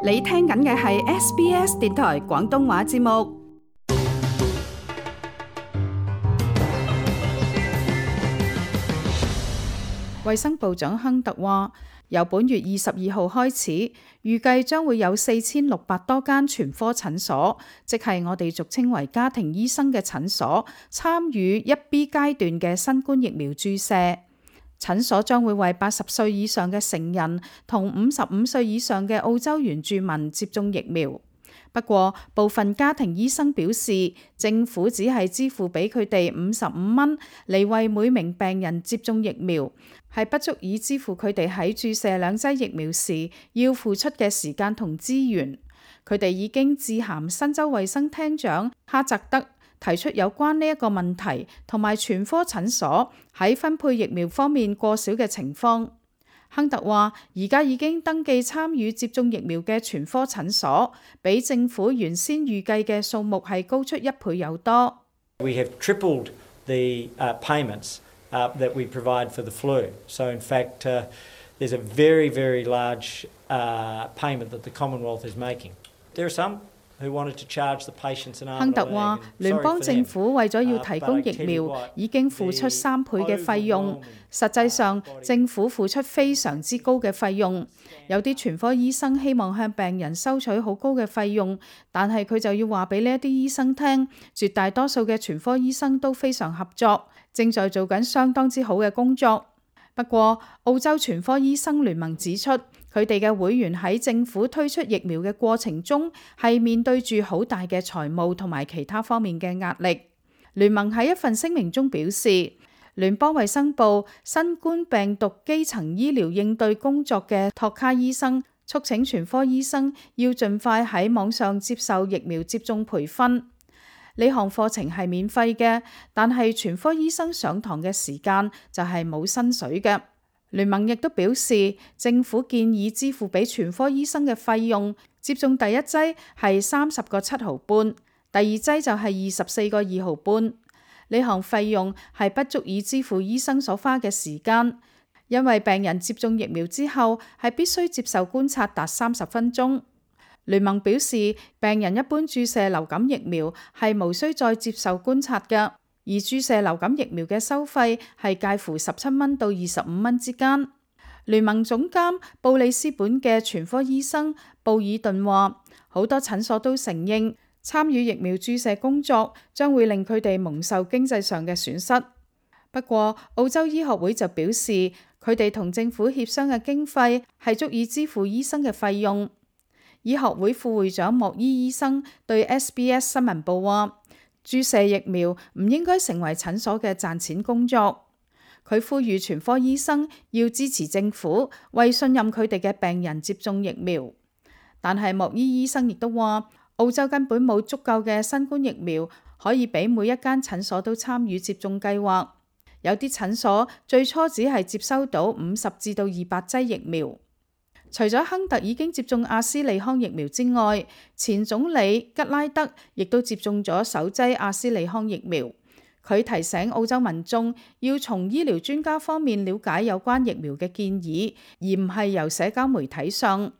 你聽緊嘅係 SBS 電台廣東話節目。衛生部長亨特話，由本月22號開始，預計將會有4600多間全科診所，即係我哋俗稱為家庭醫生嘅診所，參與1B 階段嘅新冠疫苗注射。診所將會為80歲以上嘅成人同55歲以上嘅澳洲原住民接種疫苗。不過，部分家庭醫生表示，政府只係支付俾佢哋55蚊嚟為每名病人接種疫苗，係不足以支付佢哋喺注射2劑疫苗時要付出嘅時間同資源。佢哋已經致函新州衛生廳長哈澤德，提出有關呢一個問題，同埋全科診所喺分配疫苗方面過少嘅情況。亨特話：而家已經登記參與接種疫苗嘅全科診所，比政府原先預計嘅數目係高出1倍有多。We have tripled the payments that we provide for the flu. So in fact, there's a very, very large payment that the Commonwealth is making. There are some who wanted to charge the patients an arm and a leg. 亨特話：聯邦政府為咗要提供疫苗，已經付出3倍嘅費用。實際上，政府付出非常之高嘅費用。有啲全科醫生希望向病人收取好高嘅費用，但係佢就要話俾呢一啲醫生聽，絕大多數嘅全科醫生都非常合作，正在做緊相當之好嘅工作。不過，澳洲全科醫生聯盟指出，佢哋嘅會員喺政府推出疫苗嘅過程中，係面對住好大嘅財務同埋其他方面嘅壓力。聯盟喺一份聲明中表示，聯邦衛生部新冠病毒基層醫療應對工作嘅托卡醫生促請全科醫生要盡快喺網上接受疫苗接種培訓。呢項課程係免費嘅，但係全科醫生上堂嘅時間就係冇薪水嘅。聯盟亦都表示，政府建議支付俾全科醫生嘅費用，接種第1劑係30個7毫半，第2劑就係24個2毫半。呢項費用係不足以支付醫生所花嘅時間，因為病人接種疫苗之後係必須接受觀察達30分鐘。聯盟表示，病人一般注射流感疫苗係無需再接受觀察嘅，而注射流感疫苗嘅收費係介乎17蚊到25蚊之間。聯盟總監布里斯本嘅全科醫生布爾頓話，好多診所都承認參與疫苗注射工作將會令佢哋蒙受經濟上嘅損失。不過，澳洲醫學會就表示，佢哋同政府協商嘅經費係足以支付醫生嘅費用。醫學會副會長莫伊醫生對 SBS 新聞部話：注射疫苗唔應該成為診所嘅賺錢工作。佢呼籲全科醫生要支持政府，為信任佢哋嘅病人接種疫苗。但係莫伊醫生亦都話，澳洲根本冇足夠嘅新冠疫苗可以俾每一間診所都參與接種計劃。有啲診所最初只係接收到50至到200劑疫苗。除咗亨特已經接種阿斯利康疫苗之外，前總理吉拉德亦都接種咗首劑阿斯利康疫苗。佢提醒澳洲民眾要從醫療專家方面了解有關疫苗嘅建議，而唔係由社交媒體上。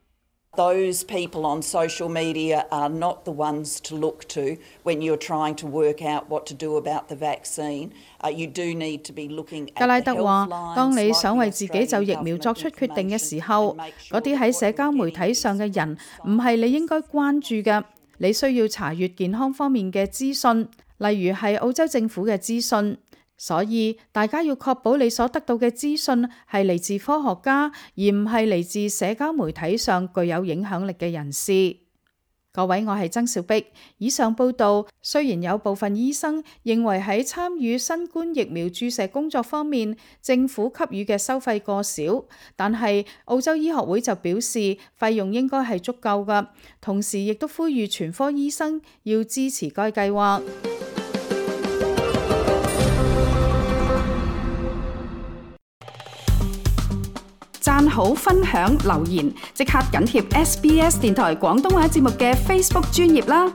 Those people on social media are not the ones to look to when you're trying to work out what to do about the vaccine. You do need to be looking at the health lines. 吉拉德話：當你想為自己就疫苗作出決定嘅時候，嗰啲喺社交媒體上嘅人唔係你應該關注嘅。你需要查閱健康方面嘅資訊，例如係澳洲政府嘅資訊。所以大家要確保你所得到嘅資訊係嚟自科學家，而唔係嚟自社交媒體上具有影響力嘅人士。各位，我係曾小碧。以上報道雖然有部分醫生認為喺參與新冠疫苗注射工作方面，政府給予嘅收費過少，但係澳洲醫學會就表示費用應該係足夠㗎，同時亦都呼籲全科醫生要支持該計劃。讚好、分享、留言，即刻緊貼SBS 電台廣東話節目嘅 Facebook 專頁啦！